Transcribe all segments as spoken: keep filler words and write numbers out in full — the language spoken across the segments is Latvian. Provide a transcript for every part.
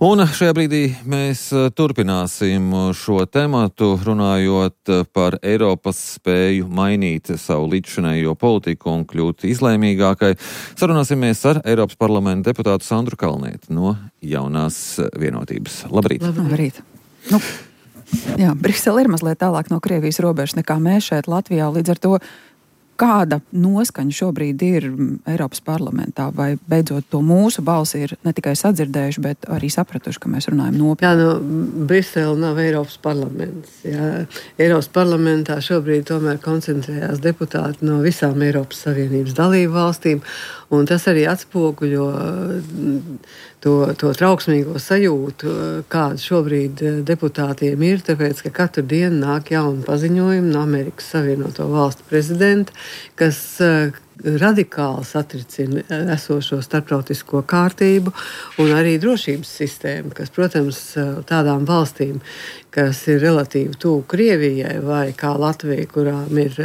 Un šajā brīdī mēs turpināsim šo tematu, runājot par Eiropas spēju mainīt savu līdzšinējo politiku un kļūt izlēmīgākai. Sarunāsimies ar Eiropas parlamenta deputātu Sandru Kalnieti no Jaunās vienotības. Labrīt! Labrīt! Nu, jā, Brisele ir mazliet tālāk no Krievijas robežas nekā mēs šeit Latvijā, līdz ar to kāda noskaņa šobrīd ir Eiropas parlamentā, vai beidzot to mūsu balsi ir ne tikai sadzirdējuši, bet arī sapratuši, ka mēs runājam nopietni? Jā, nu, Brisele nav Eiropas parlaments. Jā. Eiropas parlamentā šobrīd tomēr koncentrējās deputāti no visām Eiropas Savienības dalību valstīm, un tas arī atspoguļo to, to trauksmīgo sajūtu, kāda šobrīd deputātiem ir, tāpēc, ka katru dienu nāk jauni paziņojumi no Amerikas Savienoto Valstu prezidenta, kas radikāli satricina esošo starptautisko kārtību un arī drošības sistēmu, kas, protams, tādām valstīm, kas ir relatīvi tuvu Krievijai vai kā Latvija, kurām ir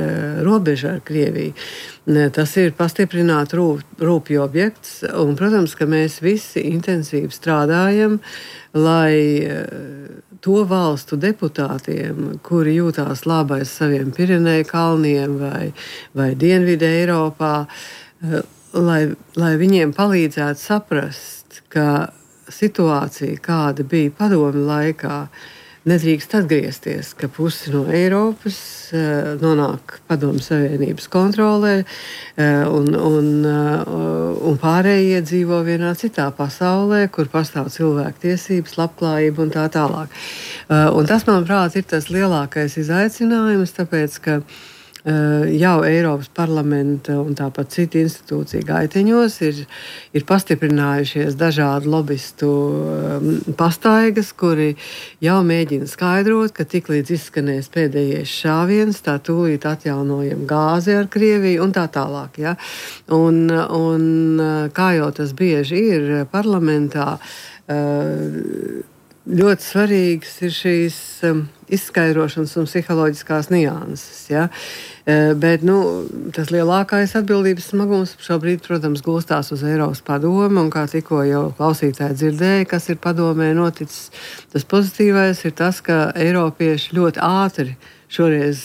robeža ar Krieviju, tas ir pastiprināt rūp, rūpju objekts. Un, protams, ka mēs visi intensīvi strādājam, lai to valstu deputātiem, kuri jūtās labi aiz saviem Pireneju kalniem vai, vai Dienvidu Eiropā, lai, lai viņiem palīdzētu saprast, ka situācija, kāda bija padomju laikā, nedrīkst atgriezties, ka pusi no Eiropas uh, nonāk Padomju Savienības kontrolē uh, un, un, uh, un pārējie dzīvo vienā citā pasaulē, kur pastāv cilvēktiesības, labklājība un tā tālāk. Uh, un tas, manuprāt, ir tas lielākais izaicinājums, tāpēc, ka jau Eiropas parlamenta un tāpat citu institūciju gaiteņos ir, ir pastiprinājušies dažādi lobistu pastaigas, kuri jau mēģina skaidrot, ka tiklīdz izskanēs pēdējais šāviens, tā tūlīt atjaunojam gāzi ar Krieviju un tā tālāk. Ja? Un, un kā jau tas bieži ir parlamentā, ļoti svarīgas ir šīs izskaidrošanas un psiholoģiskās nianses. Ja? Bet nu, tas lielākais atbildības smagums šobrīd, protams, gulstās uz Eiropas padomu, un kā tikko jau klausītāji dzirdēja, kas ir padomē noticis, tas pozitīvais ir tas, ka eiropieši ļoti ātri šoreiz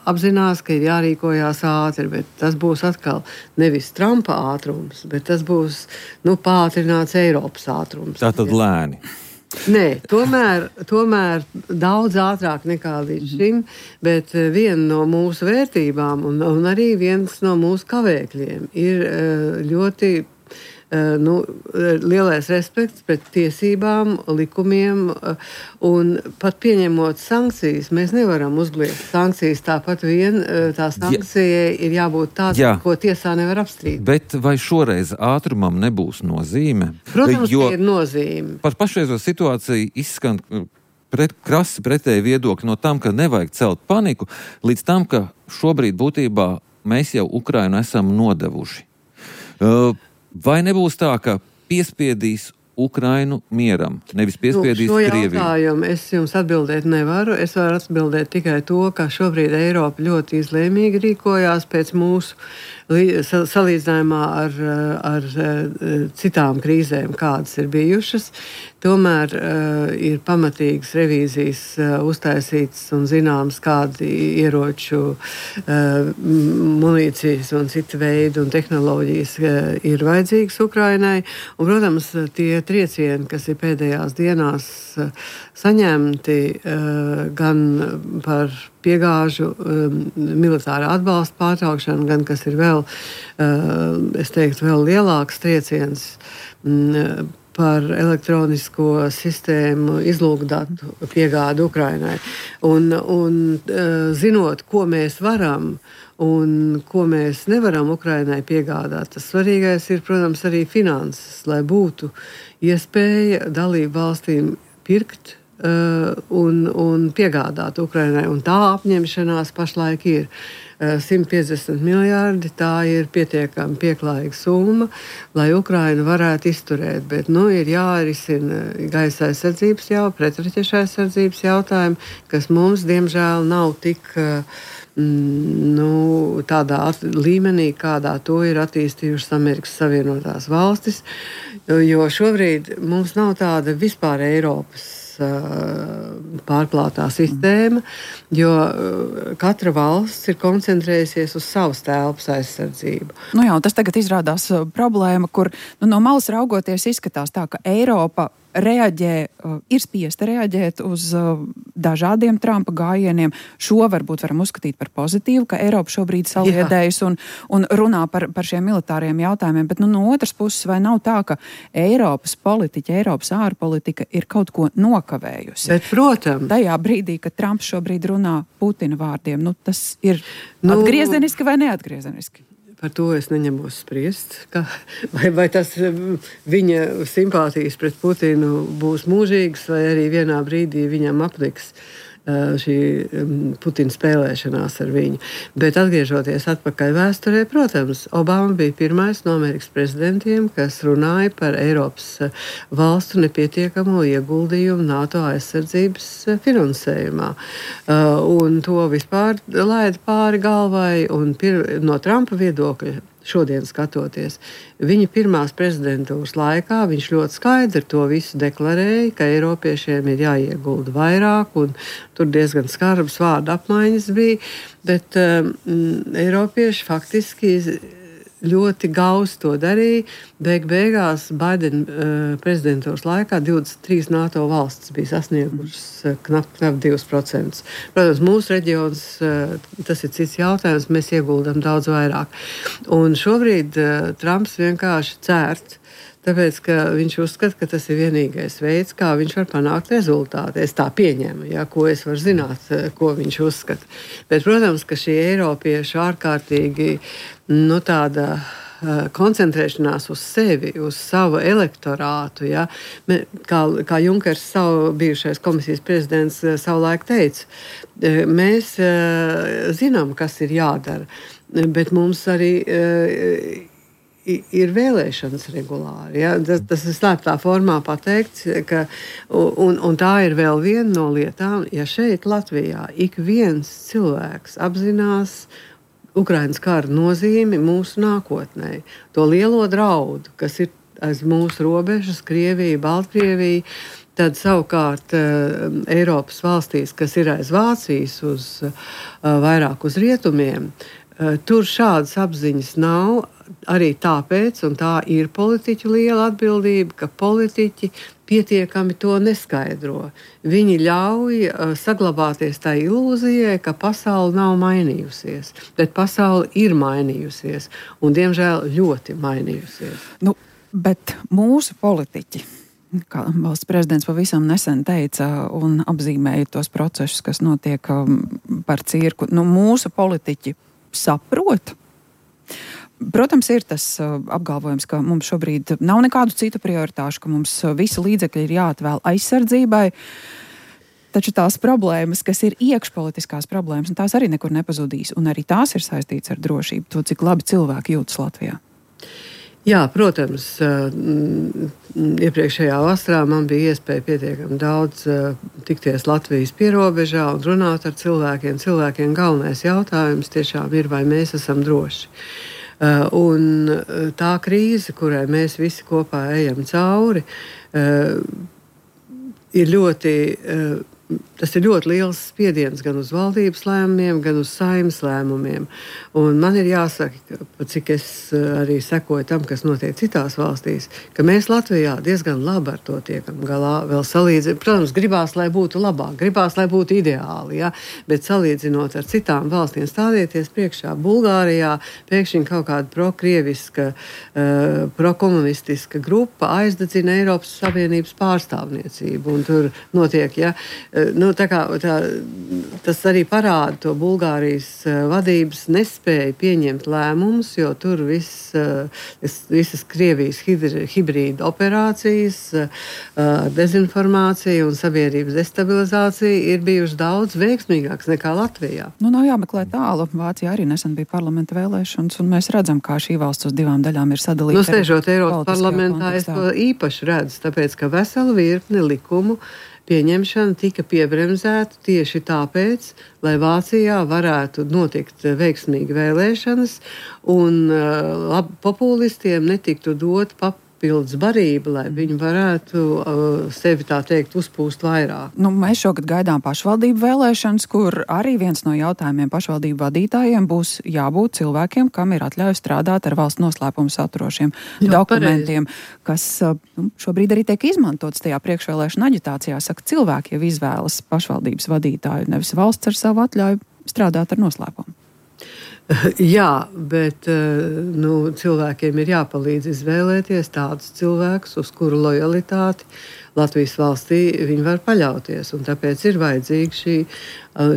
apzinās, ka ir jārīkojās ātri, bet tas būs atkal nevis Trumpa ātrums, bet tas būs nu, pātrināts Eiropas ātrums. Tātad lēni. Nē, tomēr, tomēr daudz ātrāk nekā līdz šim, bet viena no mūsu vērtībām un, un arī viens no mūsu kavēkļiem ir ļoti nu, lielais respekts pret tiesībām, likumiem, un pat pieņemot sankcijas, mēs nevaram uzgliegt sankcijas tāpat vien, tā sankcijai ir jābūt tāda, ko tiesā nevar apstrīdēt. Bet vai šoreiz ātrumam nebūs nozīme? Protams, jo ir nozīme. Par pašreizo situāciju izskan pret, krasi pretēji viedokļi no tam, ka nevajag celt paniku, līdz tam, ka šobrīd būtībā mēs jau Ukrainu esam nodevuši. Uh, Vai nebūs tā, ka piespiedīs Ukrainu mieram, nevis piespiedīs nu, Krieviju? Šo jautājumu es jums atbildēt nevaru. Es varu atbildēt tikai to, ka šobrīd Eiropa ļoti izlēmīgi rīkojās pēc mūsu salīdzinājumā ar, ar citām krīzēm, kādas ir bijušas. Tomēr uh, ir pamatīgas revīzijas uh, uztaisītas un zināms, kādi ieroču, uh, munīcijas un citu veidu un tehnoloģijas uh, ir vajadzīgas Ukrainai. Un, protams, tie triecieni, kas ir pēdējās dienās uh, saņemti uh, gan par piegāžu um, militārā atbalsta pārtraukšanu, gan kas ir vēl, uh, es teiktu, vēl lielāks trieciens um, par elektronisko sistēmu izlūkdatu piegādu Ukrainai. Un, un zinot, ko mēs varam un ko mēs nevaram Ukrainai piegādāt, tas svarīgais ir, protams, arī finanses, lai būtu iespēja dalību valstīm pirkt un, un piegādāt Ukrainai. Un tā apņemšanās pašlaik ir. simt piecdesmit miljārdi, tā ir pietiekami pieklājīga summa, lai Ukraina varētu izturēt. Bet nu, ir jārisina gaisa aizsardzības jau, pretraķešu aizsardzības jautājumi, kas mums, diemžēl, nav tik mm, nu, tādā līmenī, kādā to ir attīstījušas Amerikas Savienotās valstis, jo šobrīd mums nav tāda vispār Eiropas pārklātā sistēma, jo katra valsts ir koncentrējusies uz savas telpas aizsardzību. Nu jā, tas tagad izrādās problēma, kur nu, no malas raugoties izskatās tā, ka Eiropa reaģē, ir spiesta reaģēt uz dažādiem Trumpa gājieniem. Šo varbūt varam uzskatīt par pozitīvu, ka Eiropa šobrīd saliedējas un, un runā par, par šiem militāriem jautājumiem, bet nu, no otras puses vai nav tā, ka Eiropas politiķa, Eiropas ārpolitika ir kaut ko nokavējusi? Bet, protams. Tajā brīdī, kad Trumps šobrīd runā Putina vārdiem, nu, tas ir nu, atgriezeniski vai neatgriezeniski? Par to es neņemos spriest, ka, vai, vai tas viņa simpātijas pret Putinu būs mūžīgas, vai arī vienā brīdī viņam apliks šī Putina spēlēšanās ar viņu. Bet atgriežoties atpakaļ vēsturē, protams, Obama bija pirmais no Amerikas prezidentiem, kas runāja par Eiropas valstu nepietiekamo ieguldījumu NATO aizsardzības finansējumā. Un to vispār laida pāri galvai, un pir, no Trumpa viedokļa šodien skatoties. Viņa pirmās prezidentūras laikā viņš ļoti skaidri to visu deklarēja, ka Eiropiešiem ir jāiegulda vairāk, un tur diezgan skarbas vārdu apmaiņas bija, bet um, Eiropieši faktiski ļoti gausi to darīja. Beig beigās Baidena uh, prezidentūras laikā divdesmit trīs NATO valstis bija sasniegušas uh, knap, knap divus procentus. Protams, mūsu reģions, uh, tas ir cits jautājums, mēs ieguldam daudz vairāk. Un šobrīd uh, Trumps vienkārši cērt, tāpēc, ka viņš uzskata, ka tas ir vienīgais veids, kā viņš var panākt rezultātu. Es tā pieņemu, ja, ko es varu zināt, ko viņš uzskata. Bet, protams, ka šī Eiropiešu ārkārtīgi, nu, tāda koncentrēšanās uz sevi, uz savu elektorātu, ja, kā, kā Junkers, savu bijušais komisijas prezidents, savulaik teica, mēs zinām, kas ir jādara, bet mums arī ir vēlēšanas regulāri. Ja? Tas, tas ir slēptā formā pateikts, ka, un, un tā ir vēl viena no lietām, ja šeit Latvijā ik viens cilvēks apzinās Ukrainas kara nozīmi mūsu nākotnē, to lielo draudu, kas ir aiz mūsu robežas, Krievija, Baltkrievija, tad savukārt uh, Eiropas valstīs, kas ir aiz Vācijas, uz, uh, vairāk uz rietumiem, uh, tur šādas apziņas nav. Arī tāpēc, un tā ir politiķu liela atbildība, ka politiķi pietiekami to neskaidro. Viņi ļauj uh, saglabāties tā ilūzijai, ka pasaule nav mainījusies, bet pasaule ir mainījusies, un diemžēl ļoti mainījusies. Nu, bet mūsu politiķi, kā valsts prezidents pavisam nesen teica un apzīmēja tos procesus, kas notiek um, par cirku, nu, mūsu politiķi saprot. Protams, ir tas uh, apgalvojums, ka mums šobrīd nav nekādu citu prioritāšu, ka mums uh, visi līdzekļi ir jāatvēl aizsardzībai, taču tās problēmas, kas ir iekšpolitiskās problēmas, tās arī nekur nepazudīs, un arī tās ir saistītas ar drošību, to, cik labi cilvēki jūtas Latvijā. Jā, protams, uh, iepriekšējā vasarā man bija iespēja pietiekami daudz uh, tikties Latvijas pierobežā un runāt ar cilvēkiem. Cilvēkiem galvenais jautājums tiešām ir, vai mēs esam droši. Uh, un tā krīze, kurai mēs visi kopā ejam cauri, uh, ir ļoti, uh, tas ir ļoti liels spiediens gan uz valdības lēmumiem, gan uz Saeimas lēmumiem. Un man ir jāsaka, cik es arī sekoju tam, kas notiek citās valstīs, ka mēs Latvijā diezgan labi ar to tiekam galā. Vēl salīdzinot, protams, gribās, lai būtu labāk, gribās, lai būtu ideāli, ja? Bet salīdzinot ar citām valstīm, stādieties priekšā Bulgārijā, pēkšņi kaut kāda prokrieviska, uh, prokomunistiska grupa aizdedzina Eiropas Savienības pārstāvniecību. Un tur notiek, ja, uh, nu, nu, tā kā, tā, tas arī parāda to Bulgārijas vadības nespēju pieņemt lēmumus, jo tur viss, visas Krievijas hibrīda operācijas, dezinformācija un sabiedrības destabilizācija ir bijuši daudz veiksmīgāks nekā Latvijā. Nu, nav jāmeklē tālu. Vācijā arī nesen bija parlamenta vēlēšanas, un mēs redzam, kā šī valsts uz divām daļām ir sadalīta. Nu, stežot Eiropas parlamentā, es to īpaši redzu, tāpēc, ka vesela virkne likumu pieņemšana tika piebremzēta tieši tāpēc, lai Vācijā varētu notikt veiksmīgi vēlēšanas un uh, populistiem netiktu dot papildus barība, lai viņi varētu uh, sevi tā teikt uzpūst vairāk. Nu, mēs šogad gaidām pašvaldību vēlēšanas, kur arī viens no jautājumiem pašvaldību vadītājiem būs jābūt cilvēkiem, kam ir atļauj strādāt ar valsts noslēpumu saturošiem Jā, dokumentiem, pareizi. Kas uh, šobrīd arī tiek izmantots tajā priekšvēlēšana aģitācijā. Saka, cilvēki jau izvēlas pašvaldības vadītāju, nevis valsts ar savu atļauju strādāt ar noslēpumu. Jā, bet nu, cilvēkiem ir jāpalīdz izvēlēties tādus cilvēkus, uz kuru lojalitāti Latvijas valstī viņi var paļauties. Un tāpēc ir vajadzīga šī,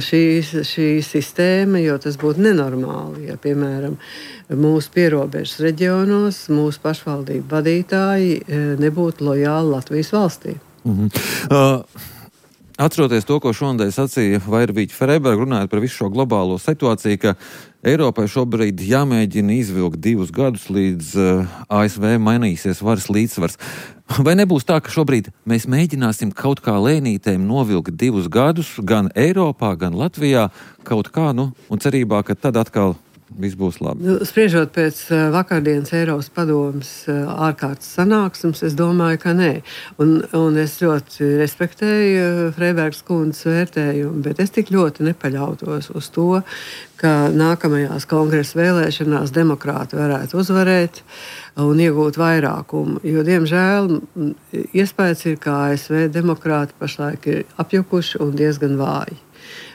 šī, šī sistēma, jo tas būtu nenormāli, ja, piemēram, mūsu pierobežas reģionos mūsu pašvaldību vadītāji nebūtu lojāli Latvijas valstī. Mhm. Uh... Atceroties to, ko šonadēļ sacīja Vairvīķa Freiberga, runājot par visu šo globālo situāciju, ka Eiropai šobrīd jāmēģina izvilkt divus gadus, līdz uh, A S V mainīsies varas līdzsvars. Vai nebūs tā, ka šobrīd mēs mēģināsim kaut kā lēnītēm novilkt divus gadus gan Eiropā, gan Latvijā, kaut kā, nu, un cerībā, ka tad atkal viss būs labi? Nu, spriežot pēc uh, vakardienas Eiropas padomes uh, ārkārtas sanāksmes, es domāju, ka nē. Un, un es ļoti respektēju uh, Freibergas kundzes vērtējumu, bet es tik ļoti nepaļautos uz to, ka nākamajās kongresa vēlēšanās demokrāti varētu uzvarēt un iegūt vairākumu. Jo, diemžēl, iespējas ir, ka A S V demokrāti pašlaik ir apjukuši un diezgan vāji.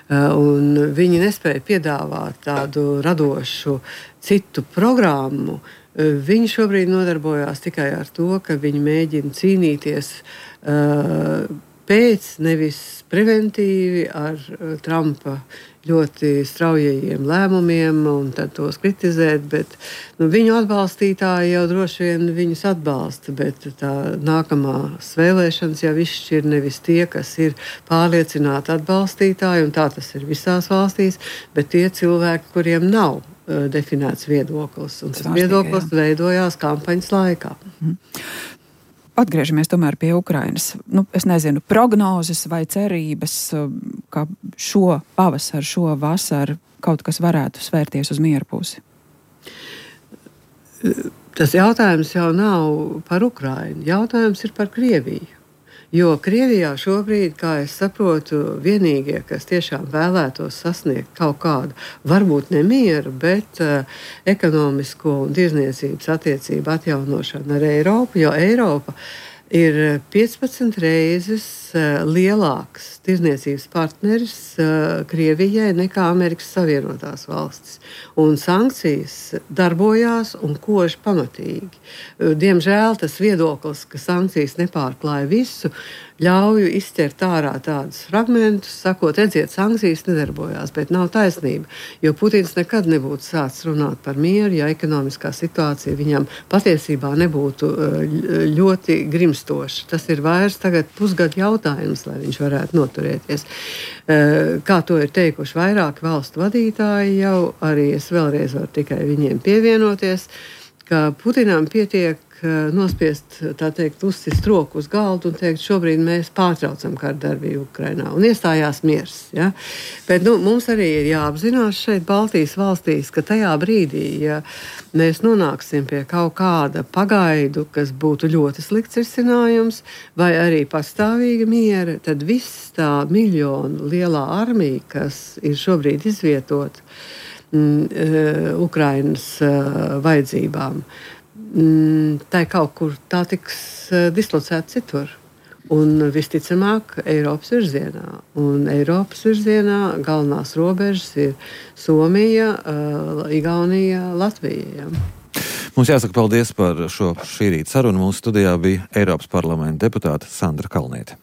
Un viņi nespēja piedāvāt tādu radošu citu programmu. Viņi šobrīd nodarbojās tikai ar to, ka viņi mēģina cīnīties uh, pēc, nevis preventīvi ar uh, Trumpa ļoti straujajiem lēmumiem un tad tos kritizēt, bet nu, viņu atbalstītāji jau droši vien viņus atbalsta, bet tā nākamās vēlēšanas jau izšķir nevis tie, kas ir pārliecināti atbalstītāji, un tā tas ir visās valstīs, bet tie cilvēki, kuriem nav uh, definēts viedoklis, un tas viedoklis veidojās kampaņas laikā. Mm. Atgriežamies tomēr pie Ukrainas. Nu, es nezinu, prognozes vai cerības, ka šo pavasaru, šo vasaru kaut kas varētu svērties uz mieru pusi? Tas jautājums jau nav par Ukrainu. Jautājums ir par Krieviju. Jo Krievijā šobrīd, kā es saprotu, vienīgie, kas tiešām vēlētos sasniegt kaut kādu, varbūt nemieru, bet uh, ekonomisko un tirzniecības attiecību atjaunošanu ar Eiropu, jo Eiropa ir piecpadsmit reizes uh, lielāks tirzniecības partneris uh, Krievijai nekā Amerikas Savienotās valstis. Un sankcijas darbojās un kož pamatīgi. Uh, diemžēl tas viedoklis, ka sankcijas nepārklāja visu, ļauju izķert ārā tādus fragmentus, sakot, redziet, sankcijas nedarbojās, bet nav taisnība, jo Putins nekad nebūtu sācis runāt par mieru, ja ekonomiskā situācija viņam patiesībā nebūtu ļoti grimstoša. Tas ir vairs tagad pusgadu jautājums, lai viņš varētu noturēties. Kā to ir teikuši vairāki valstu vadītāji jau, arī es vēlreiz varu tikai viņiem pievienoties, ka Putinam pietiek nospiest, tā teikt, uzsist roku uz galdu un teikt, šobrīd mēs pārtraucam kardarbību Ukrainā un iestājās miers. Ja? Bet nu, mums arī ir jāapzinās šeit Baltijas valstīs, ka tajā brīdī, ja mēs nonāksim pie kaut kāda pagaidu, kas būtu ļoti slikts risinājums, vai arī pastāvīga miera, tad viss tā miljonu lielā armija, kas ir šobrīd izvietot mm, Ukrainas uh, vajadzībām, tā kaut kur tā tiks dislocēta citur. Un visticamāk Eiropas virzienā. Un Eiropas virzienā galvenās robežas ir Somija, Igaunija, Latvija. Ja. Mums jāsaka paldies par šo šī rīta sarunu. Mūsu studijā bija Eiropas parlamenta deputāte Sandra Kalniete.